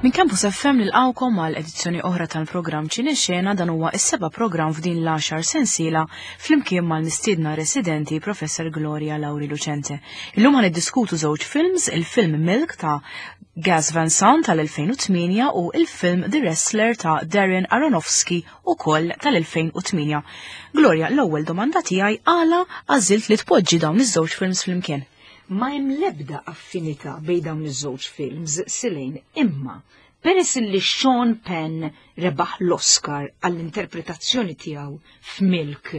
Minn Campus FM nilqawkom għal edizzjoni oħra tal-programm Ċine Xena dan huwa is-seba' programm f'din l-għaxar sensiela flimkien mal-mistiedna residenti Professor Gloria Lauri Lucente. Illum ħan niddiskutu żewġ films, il-film Milk ta' Gas Van Sant tal-2008 u il-film The Wrestler ta' Darren Aronofsky ukoll tal-2008. Gloria, l-ewwel domanda tiegħi għala għażilt li tpoġġi dawn iż-żewġ films flimkien? Ma hemm l-ebda affinità bejn dawn iż-żewġ films silejn imma peress li Sean Penn rebaħ l-Oscar għall-interpretazzjoni tiegħu f'Milk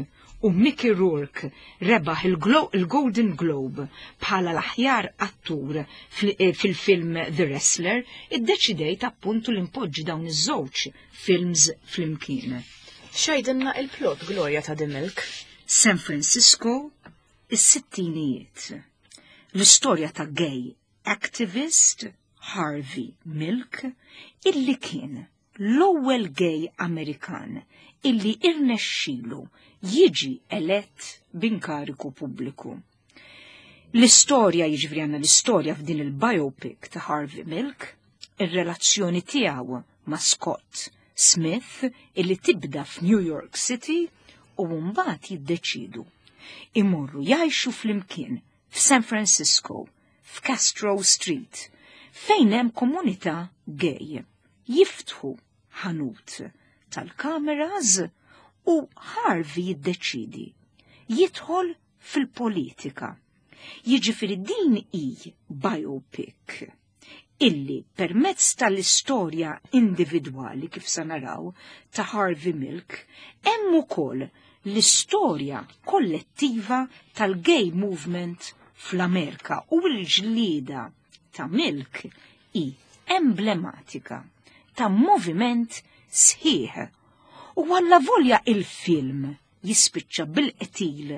u Mickey Rourke rebaħ il-Golden Globe bħala l-aħjar attur eh, fil-film The Wrestler, iddeċidejt appuntu li npoġġi dawn iż-żewġ films flimkien. X'għidilna il-plot Gloria ta' The Milk? San Francisco, Is-sittinijiet. L-istorja ta' gay activist Harvey Milk illi kien l-ewwel gay Amerikan illi irnexxilu jiġi elett b'inkariku pubbliku. L-istorja jiġifieri għandna l-istorja f'din il-biopic ta' Harvey Milk, ir-relazzjoni tiegħu ma' Scott Smith illi tibda f'New York City u mbagħad jiddeċidu imorru jgħixu flimkien f'San Francisco, f'Castro Street, fejn hemm komunità gay. Jiftħu ħanut tal-kameras u Harvey jiddeċidi jidħol fil-politika. Jiġifieri din hi biopic illi permezz tal-istorja individwali kif sa naraw ta' Harvey Milk hemm ukoll l-istorja kollettiva tal-gay movement fl-Amerika u l-ġlieda ta' Milk hi emblematika ta' moviment sħiħ. U għallavolja il-film jispiċċa bil-qtil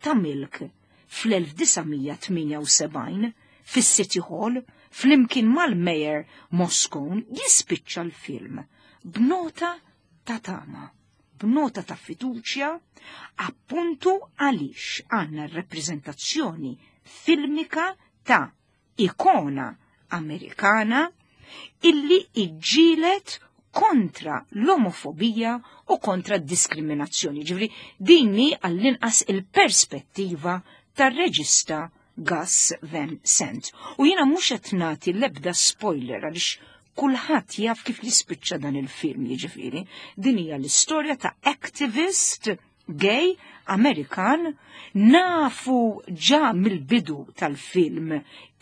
ta' Milk fl-1978 fis-City Hall flimkien mal-Mayor Moscone jispiċċa l-film b'nota ta' tama, b'nota ta' fiduċja, appuntu għaliex għandna r-rappreżentazzjoni filmika ta' ikona Amerikana illi iġġielet kontra l-omofobija u kontra d-diskriminazzjoni. Ġifri, dinni għall-inqas il-perspettiva tar-reġista Gus Van Sant. U jiena mhux qed nagħti l-ebda spoiler għaliex kulħadd jaf kif jispiċċa dan il-film jiġifieri. Din hija l-istorja ta' activist gay Amerikan nafu ġa mill-bidu tal-film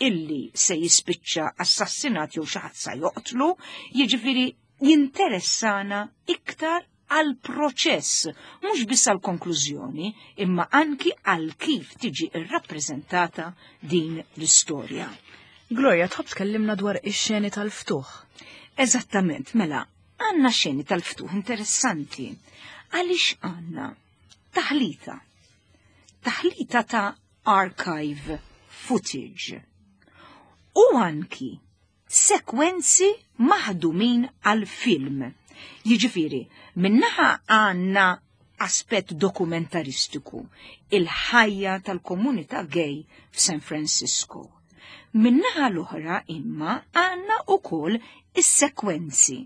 illi se jispiċċa assassinat jew xi ħadd sa joqtlu, jiġifieri jinteressana iktar għal proċess, mhux biss għal konklużjoni, imma anki għal kif tiġi rrappreżentata din l-istorja. Gloria, tħobb tkellimna dwar ix-xeni tal-ftuħ. Eżattament, mela, Għandna xeni tal-ftuħ interessanti għaliex għandna taħlita. Taħlita ta' archive footage u anki sekwenzi maħdumin għal film. Jiġifieri, minnaħa għandna aspett dokumentaristiku, il-ħajja tal-komunità gay f'San Francisco. Min-naħa l-oħra imma għandna ukoll is-sekwenzi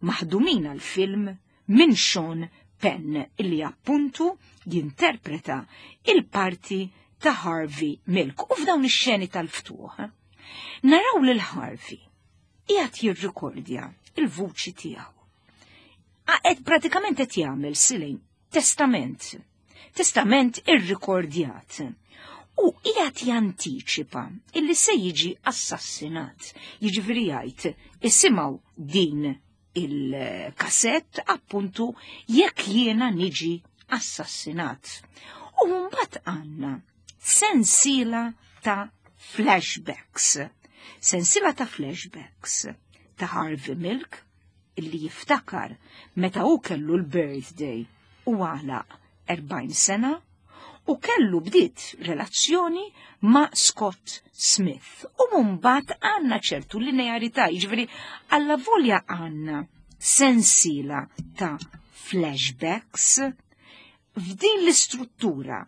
maħdumin għall-film minn Sean Penn illi appuntu jinterpreta il-parti ta' Harvey Milk u f'dawn ix-xeni tal-ftuħ naraw lil Harvey qiegħed jirrikordja il-vuċi tiegħu. Qed pratikament qed jagħmel silejn testament testament irrikordjat u qiegħed jantiċipa illi se jiġi assassinat. Jiġifieri jgħid isimgħu din il-kasett appuntu jekk jiena niġi assassinat. U mbagħad għandna sensiela ta' flashbacks. Sensiela ta' flashbacks ta' Harvey Milk illi jiftakar meta hu kellu l-birthday u għalaq 40 sena u kellu bdiet relazzjoni ma' Scott Smith. U mbagħad għandna ċertu linearità, jiġifieri alla volja għandna sensiela ta' flashbacks f'din l-istruttura.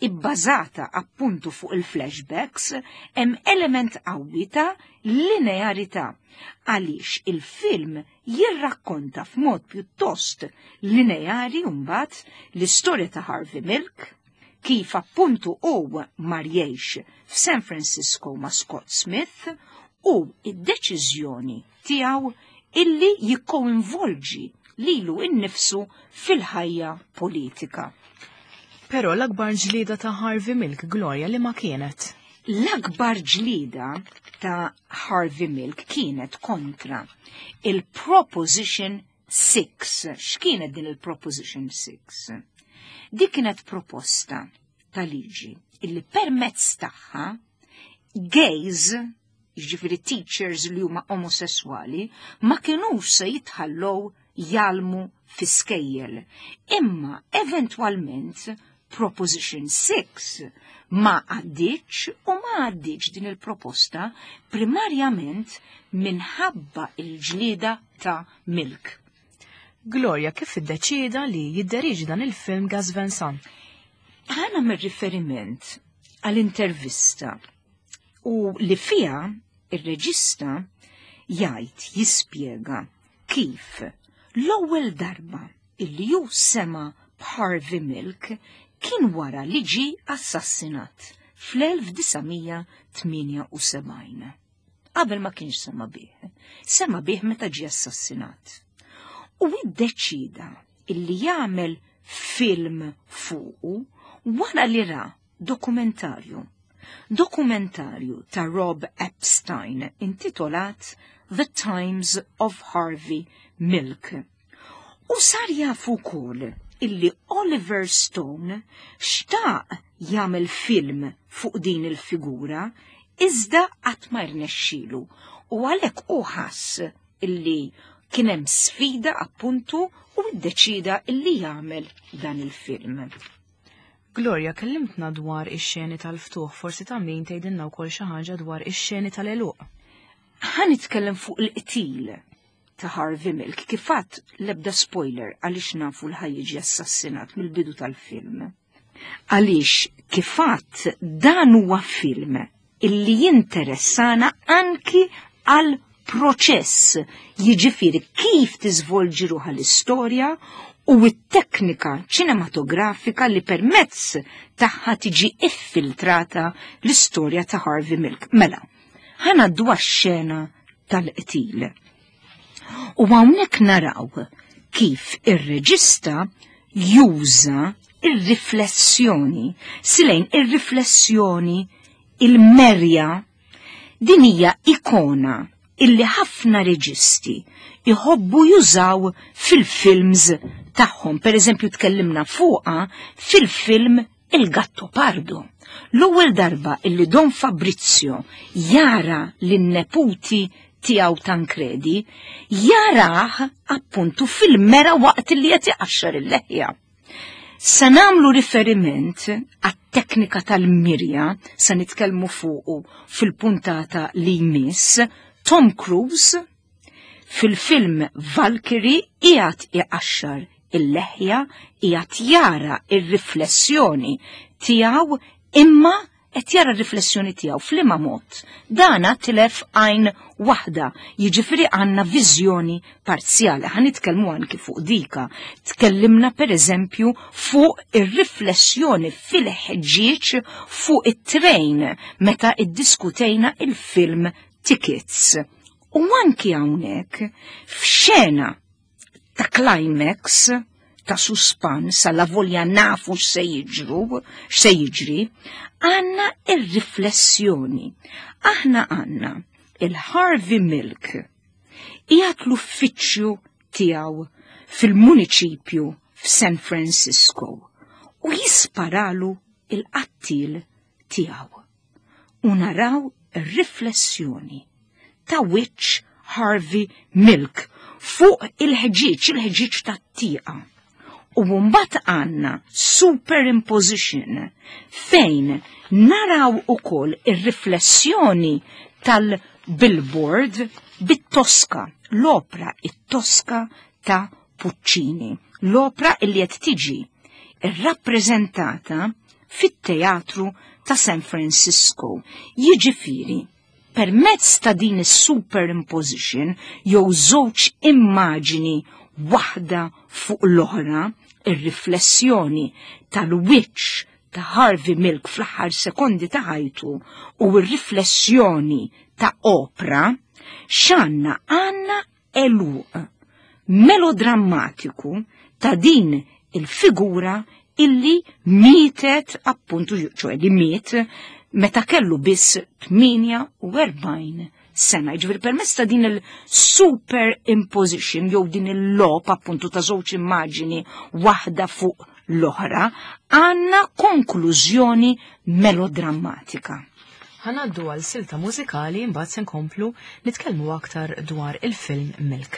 ibbażata appuntu fuq il-flashbacks, hemm element qawwi ta' linearità għaliex il-film jirrakkonta f'mod pjuttost lineari mbagħad l-istorja ta' Harvey Milk, kif appuntu hu mar jgħix f'San Francisco ma' Scott Smith u id-deċiżjoni tiegħu illi jikkoinvolġi lilu innifsu fil-ħajja politika. Però l-akbar ġlieda ta' Harvey Milk, Gloria, li ma kienet? L-akbar ġlieda ta' Harvey Milk kienet kontra il-Proposition 6. X'kienet din il-Proposition 6? Dik kienet proposta ta' liġi illi permezz tagħha gays, jiġifieri teachers li huma omosessuali, ma kinux se jitħallow jgħallmu fi skejjel. Imma eventwalment Proposition 6 ma għaddiċ u ma għaddiċ din il-proposta primarjament minħabba il-ġlieda ta' Milk. Gloria, kif iddeċieda li jidderieġi dan il-film Gus Van Sant? Ħa nagħmel riferiment għall-intervista u li fiha ir-reġista jgħid, jispjega kif l-ewwel darba illi hu sema b'Harvey Milk kien wara li ġie assassinat fl-1978. Qabel ma kienx sema bih. Sema bih meta ġie assassinat. U iddeċida illi jagħmel film fuqu wara li ra dokumentarju. Dokumentarju ta' Rob Epstein intitolat The Times of Harvey Milk. U sar jafu wkoll illi Oliver Stone xtaq jagħmel film fuq din il-figura iżda qatt ma rnexxielu u għalhekk hu ħass illi kien hemm sfida appuntu u ddeċida illi jagħmel dan il-film. Gloria, kellimtna dwar ix-xeni tal-ftuħ, forsi ta' min tgħidilna wkoll xi ħaġa dwar ix-xeni tal-għeluq. Ħa nitkellem fuq il-qtil ta' Harvey Milk, kif għedt l-ebda spoiler għaliex nafu li ħa jiġi assassinat mill-bidu tal-film. Għaliex kif għedt dan huwa film illi jinteressana anki għal proċess, jiġifieri kif tiżvolġi ruħha l-istorja u t-teknika ċinematografika li permezz tagħha tiġi iffiltrata l-istorja ta' Harvey Milk. Mela, ħa ngħaddu għax-xena tal-qtil. U hawnhekk naraw kif ir-reġista juża ir-riflessjoni, silejn ir-riflessjoni il-merja. Din hija ikona illi ħafna reġisti jħobbu jużaw fil-films tagħhom. Per eżempju, tkellimna fuqha fil-film Il Gatto Pardo. L-ewwel darba illi Don Fabrizio jara lin-neputi tiegħu Tancredi, jarah appuntu fil-mera waqt li qed iqaxxar il-leħja. Se nagħmlu riferiment għat-teknika tal-mirja, se nitkellmu fuqu fil-puntata li jmiss. Tom Cruise fil-film Valkyrie qiegħed iqaxxar il-leħja, qiegħed jara ir-riflessjoni tiegħu, imma qed jara r-riflessjoni tiegħu f'liema mod. Dana tilef għajn waħda, jiġifieri għandna viżjoni parzjali. Ħa nitkellmu anki fuq dika. Tkellimna per eżempju fuq ir-riflessjoni fil-ħġieġ fuq it-trejn meta iddiskutejna il-film Tickets. U anki hawnhekk f'xena ta' climax, ta' suspans, alla volja nafu x'se jiġru, x'se jiġri, għandna ir-riflessjoni. Aħna għandna il-Harvey Milk qiegħed l-uffiċċju tiegħu fil-muniċipju f'San Francisco u jisparalu il-qattil tiegħu. U naraw riflessjoni ta' wiċċ Harvey Milk fuq il-ħġieġ, il-ħġieġ tat-tieqa. U mbagħad għandna superimposition fejn naraw ukoll ir-riflessjoni tal-billboard bit-Tosca, l-opra it-Tosca ta' Puccini, l-opra illi qed tiġi irrappreżentata. fit-teatru ta' San Francisco. Jiġifieri, permezz ta' din is-superimposition jew żewġ immaġini waħda fuq l-oħra, ir-riflessjoni tal-wiċċ ta' Harvey Milk fl-aħħar sekondi ta' ħajtu u r-riflessjoni ta' Oprah, x'għandna għandna għeluq melodrammatiku ta' din il-figura illi mietet appuntu, ċoħe li miet meta kellu biss 48 sena. Jiġifieri permezz ta' din il-superimposition jew din il-logħob appuntu ta' żewġ immaġini waħda fuq l-oħra, għandna konklużjoni melodrammatika. Ħa ngħaddu għal silta mużikali imbagħad se nkomplu nitkellmu aktar dwar il-film Milk.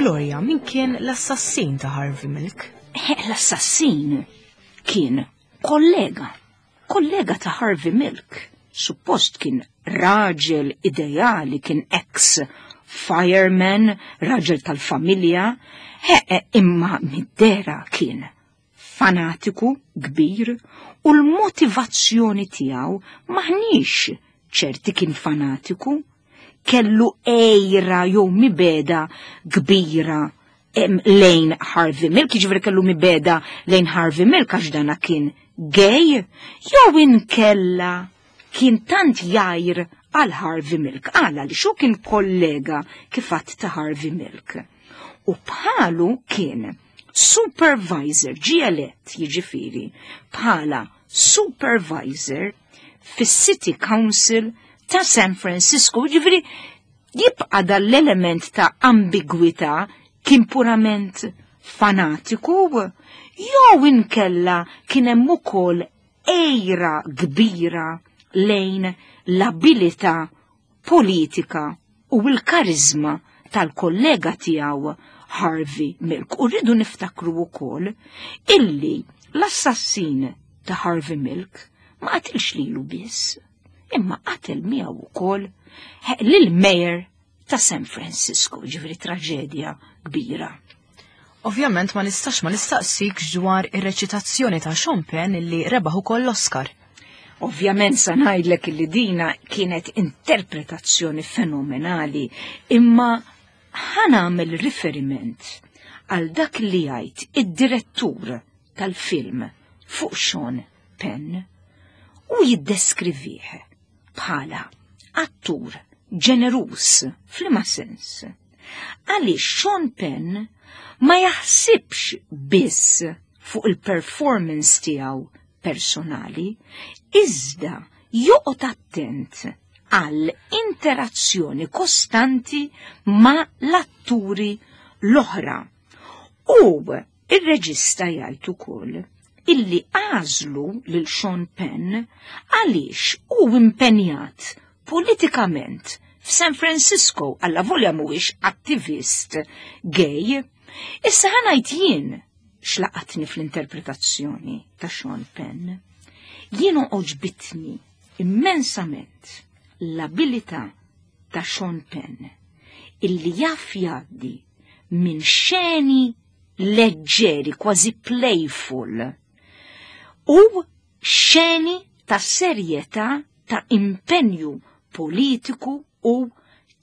Gloria, min kien l-assassin ta' Harvey Milk? L-assassin kien kollega, kollega ta' Harvey Milk. Suppost kien raġel ideali, kien ex fireman, raġel tal-familja, imma mid-dera kien fanatiku kbir u l-motivazzjoni tiegħu maħniex ċerti kien fanatiku, kellu għejra jew mibeda kbira lejn Harvey Milk, jiġifieri kellu mibeda lejn Harvey Milk għax dana kien gay, jew inkella kien tant jgħir għal Harvey Milk, għala li xu kien kollega kif għadt ta' Harvey Milk. U bħalu kien supervisor, ġie elett jiġifieri bħala supervisor fis-City Council ta' San Francisco, jiġifieri jibqa' dal-element ta' ambigwità kien purament fanatiku jew inkella kien hemm ukoll għejra kbira lejn l-abilità politika u l-kariżma tal-kollega tiegħu Harvey Milk. U rridu niftakru wkoll illi l-assassin ta' Harvey Milk ma qatilx lilu biss, imma qatel miegħu wkoll lil mayor ta' San Francisco, ġifieri traġedja kbira. Ovvjament ma nistax ma nistaqsikx dwar ir-reċitazzjoni ta' Sean Penn illi rebaħ ukoll l-Oscar. Ovvjament sa ngħidlek illi dina kienet interpretazzjoni fenomenali, imma ħa nagħmel riferiment għal dak li jgħid id-direttur tal-film fuq Sean Penn u jiddeskrivih bħala attur ġeneruż f'liema sens. Għaliex Sean Penn ma jaħsibx biss fuq il-performance tiegħu personali, iżda joqgħod attent għal interazzjoni kostanti ma' l-atturi l-oħra. U ir-reġista jgħid ukoll illi għażlu lil Sean Penn għaliex hu impenjat politikament f'San Francisco allavolja mhuwiex attivist gay. Issa ħa ngħid jien x'laqatni fl-interpretazzjoni ta' Sean Penn. Jien għoġbitni immensament l-abilità ta' Sean Penn illi jaf jgħaddi minn xeni leġġeri, kważi playful, u xeni ta' serjetà ta' impenju politiku u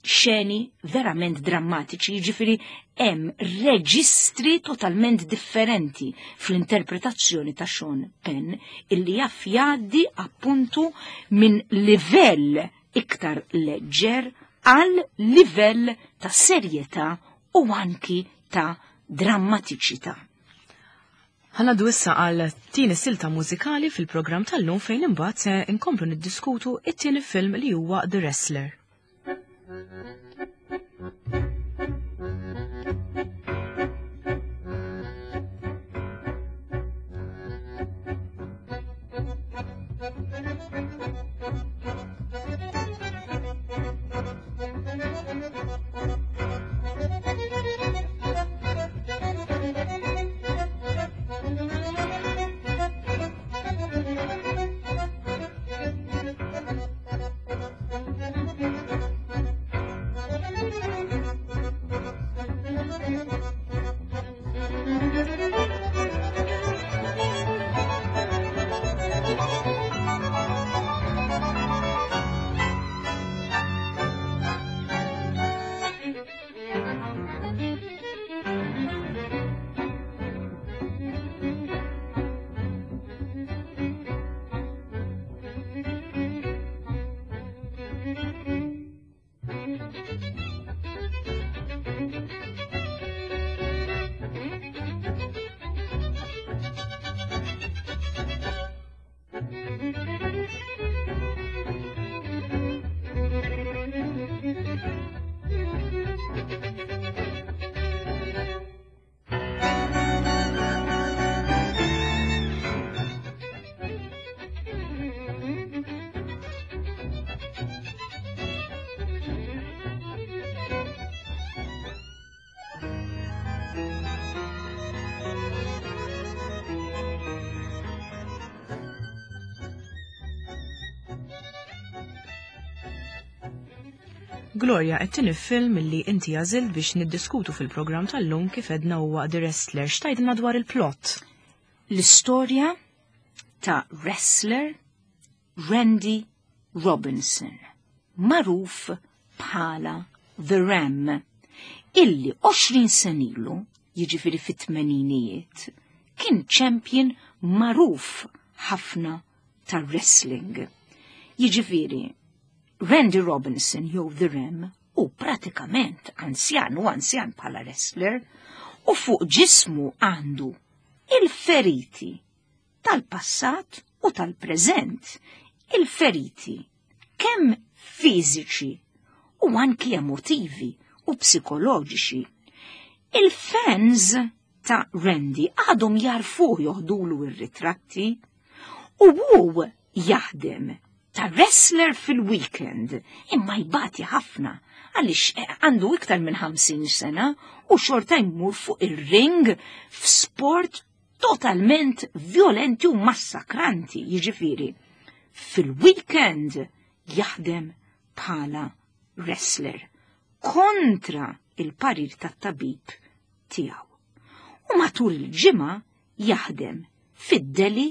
xeni verament drammatiċi, jiġifieri hemm reġistri totalment differenti fl-interpretazzjoni ta' Sean Penn illi jaf jgħaddi appuntu minn livell iktar leġġer għal livell ta' serjetà u anki ta' drammatiċità. Ħa ngħaddu issa għal tieni silta mużikali fil-programm tal-lum fejn imbagħad se nkomplu niddiskutu it-tieni film li huwa The Wrestler. Gloria, it-tieni film li inti għażilt biex niddiskutu fil-programm tal-lum kif edna huwa The Wrestler. X'tgħidilna dwar il-plot? L-istorja ta' wrestler Randy Robinson, magħruf bħala The Ram, illi 20 sena ilu, jiġifieri fit-tmeninijiet, kien champion magħruf ħafna tar-wrestling. Jiġifieri, Randy Robinson jew The Ram hu pratikament anzjan u anzjan bħala wrestler u fuq ġismu għandu il-feriti tal-passat u tal-preżent, il-feriti kemm fiżiċi u anki emotivi u psikoloġiċi. Il-fans ta' Randy għadhom jarfuh joħdulu ir-ritratti u hu jaħdem ta' wrestler fil-weekend imma jbati ħafna għaliex eh, għandu iktar minn 50 sena u xorta jmur fuq ir-ring f'sport totalment violenti u massakranti, jiġifieri. Fil-weekend jaħdem bħala wrestler. kontra il-parir tat-tabib tiegħu. U matul il-ġimgħa jaħdem fid-deli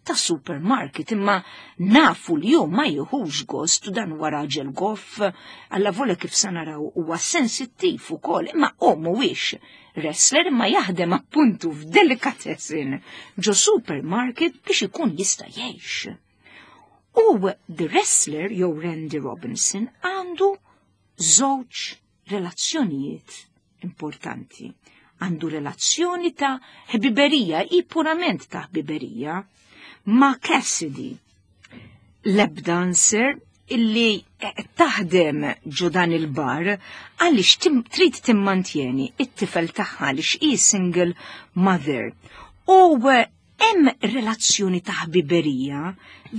ta' supermarket imma nafu li hu ma jieħux gost u dan huwa raġel goff alla vola kif sa naraw huwa sensittiv ukoll imma hu mhuwiex wrestler imma jaħdem appuntu f'delicatessen ġo supermarket biex ikun jista' jgħix. U The Wrestler jew Randy Robinson għandu żewġ relazzjonijiet importanti. Għandu relazzjoni ta' ħbiberija, i purament ta' ħbiberija, ma' Cassidy, lap dancer illi taħdem ġo dan il-bar għaliex trid timmantjeni it-tifel tagħha għaliex hi single mother. U hemm relazzjoni ta' ħbiberija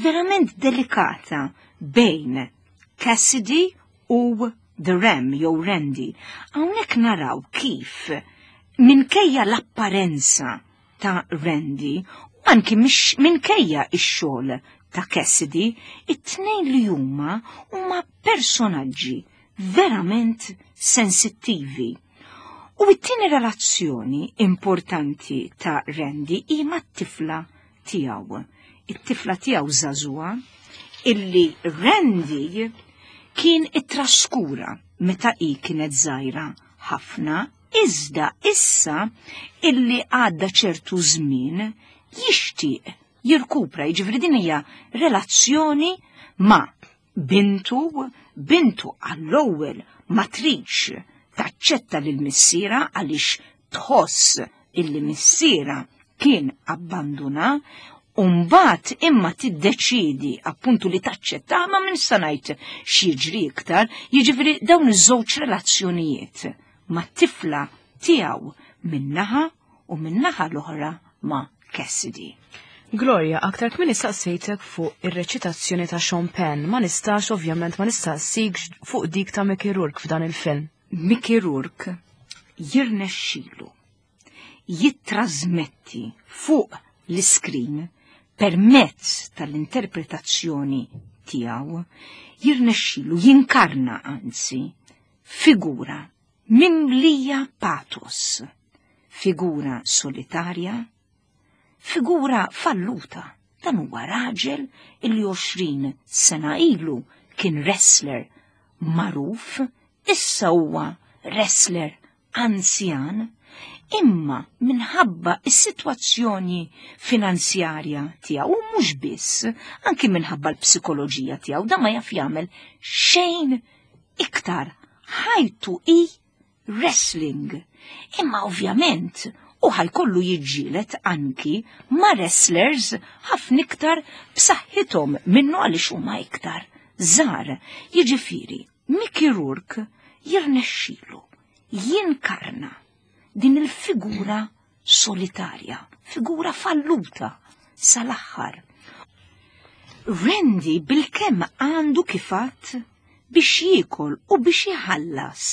verament delikata bejn Cassidy u The Ram jew Randy. Hawnhekk naraw kif minkejja l-apparenza ta' Randy u anki minkejja x-xogħol ta' Cassidy, it-tnejn li huma huma personaġġi verament sensittivi. U t-tieni relazzjoni importanti ta' Randy hi mat-tifla tiegħu. It-tifla tiegħu żagħżugħa illi Randy kien ittraskura meta hi kienet żgħira ħafna, iżda issa illi għadda ċertu żmien jixtieq jirkupra, jiġifieri din hija relazzjoni ma' bintu, bintu għall-ewwel ma tridx taċċetta lil missiera għaliex tħoss illi missiera kien abbanduna, u mbagħad imma tiddeċiedi appuntu li taċċetta ma minn sa ngħid x'jiġri iktar, jiġifieri dawn iż-żewġ relazzjonijiet mat-tifla tiegħu min-naħa u min-naħa l-oħra ma' Cassidy. Gloria, aktar kmieni saqsejtek fuq ir-reċitazzjoni ta' Sean Penn, ma nistax ovvjament ma nistaqsikx fuq dik ta' Mickey Rourke f'dan il-film. Mickey Rourke jirnexxilu jittrażmetti fuq l-iskrin permezz tal-interpretazzjoni tiegħu, jirnexxilu jinkarna anzi figura mimlija patos, figura solitarja, figura falluta. Dan huwa raġel illi 20 sena ilu kien wrestler magħruf, issa huwa wrestler anzjan, imma minħabba is-sitwazzjoni finanzjarja tiegħu u mhux biss, anki minħabba l-psikoloġija tiegħu, dan ma jaf jagħmel xejn iktar. Ħajtu hi wrestling. Imma ovvjament u ħajkollu jiġġieled anki ma' wrestlers ħafna iktar b'saħħithom minnu għaliex huma iktar żgħar. Jiġifieri, Mickey Rourke jirnexxilu jinkarna din il-figura solitarja, figura falluta sal-aħħar. Randy bilkemm għandu kifat biex jiekol u biex iħallas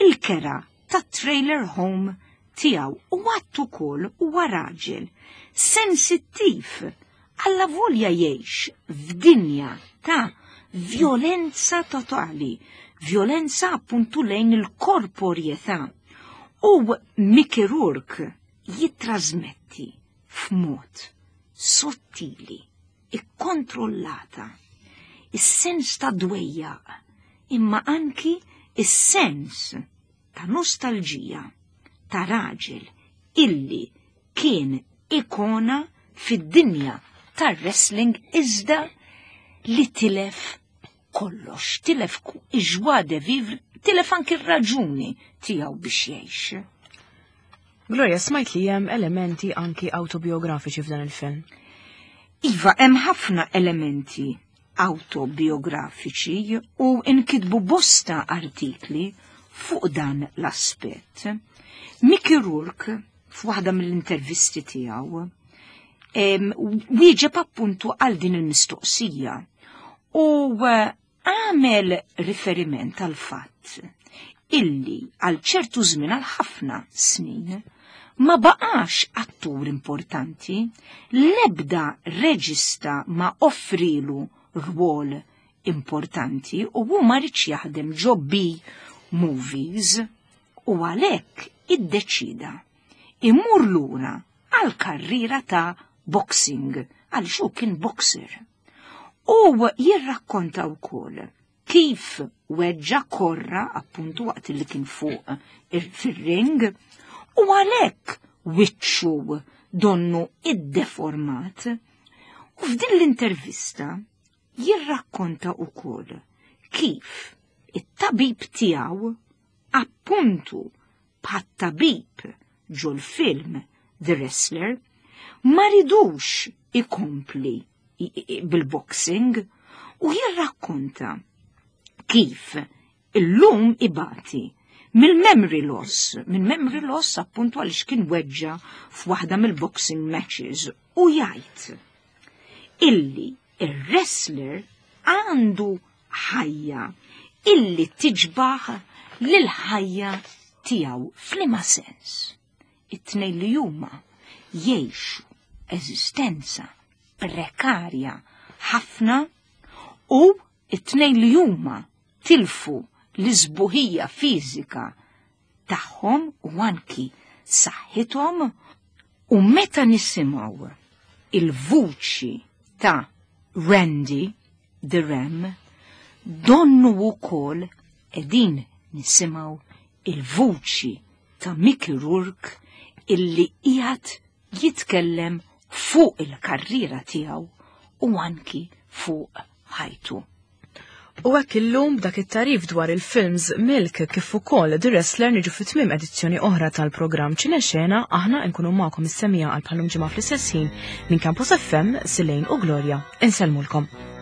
il-kera tat-trailer home tiegħu u għadd ukoll huwa raġel sensittiv alla volja jgħix f'dinja ta' vjolenza totali, vjolenza appuntu lejn il-korporjetà. U Mickey Rourke jittrażmetti f'mod sottili, ikkontrollata, is-sens ta' dwejjaq, imma anki is-sens ta' nostalġija ta' raġel illi kien ikona fid-dinja tar-wrestling iżda li tilef kollox, tilef ix-joie de vivre, tilef anki r-raġuni tiegħu biex jgħix. Gloria, smajt li hemm elementi anki autobiografiċi f'dan il-film. Iva, hemm ħafna elementi autobiografiċi u nkitbu bosta artikli fuq dan l-aspett. Mickey Rourke, f'waħda mill-intervisti tiegħu, wieġeb appuntu għal din il-mistoqsija u għamel riferiment għal fatt illi għal ċertu żmien għal ħafna snin ma baqax attur importanti, l-ebda reġista ma offrilu rwol importanti u hu ma ridx jaħdem ġo B movies u għalhekk iddeċida imur lura għal karriera ta' boxing għaliex hu kien boxer. U jirrakkonta wkoll kif weġġa korra appuntu waqt li kien fuq fir-ring u għalhekk wiċċu donnu iddeformat. U f'din l-intervista jirrakkonta wkoll kif it-tabib tiegħu appuntu bħat-tabib ġol-film The Wrestler ma ridux ikompli bil-boxing u jirrakkonta kif illum ibati mill-memory loss, minn memory loss appuntu għaliex kien weġġa f'waħda mill-boxing matches u jgħid illi ir-wrestler għandu ħajja illi tiġbaħ lil ħajja tiegħu f'liema sens. It-tnejn li huma jgħixu eżistenza prekarja ħafna u it-tnejn li huma tilfu l-isbuħija fiżika tagħhom u anki saħħithom u meta nisimgħu il-vuċi ta' Randy the Ram donnu wkoll qegħdin nisimgħu il-vuċi ta' Mickey Rourke illi qiegħed jitkellem fuq il-karriera tiegħu u anki fuq ħajtu. U hekk illum b'dak it-tarif dwar il-films Milk kif ukoll The Wrestler niġu fi tmiem edizzjoni oħra tal-programm Ċinexena aħna nkunu magħkom is-semija għal bħalum ġimgħa fl-istess ħin minn Campus FM, Silejn u Gloria. Insellmulkom.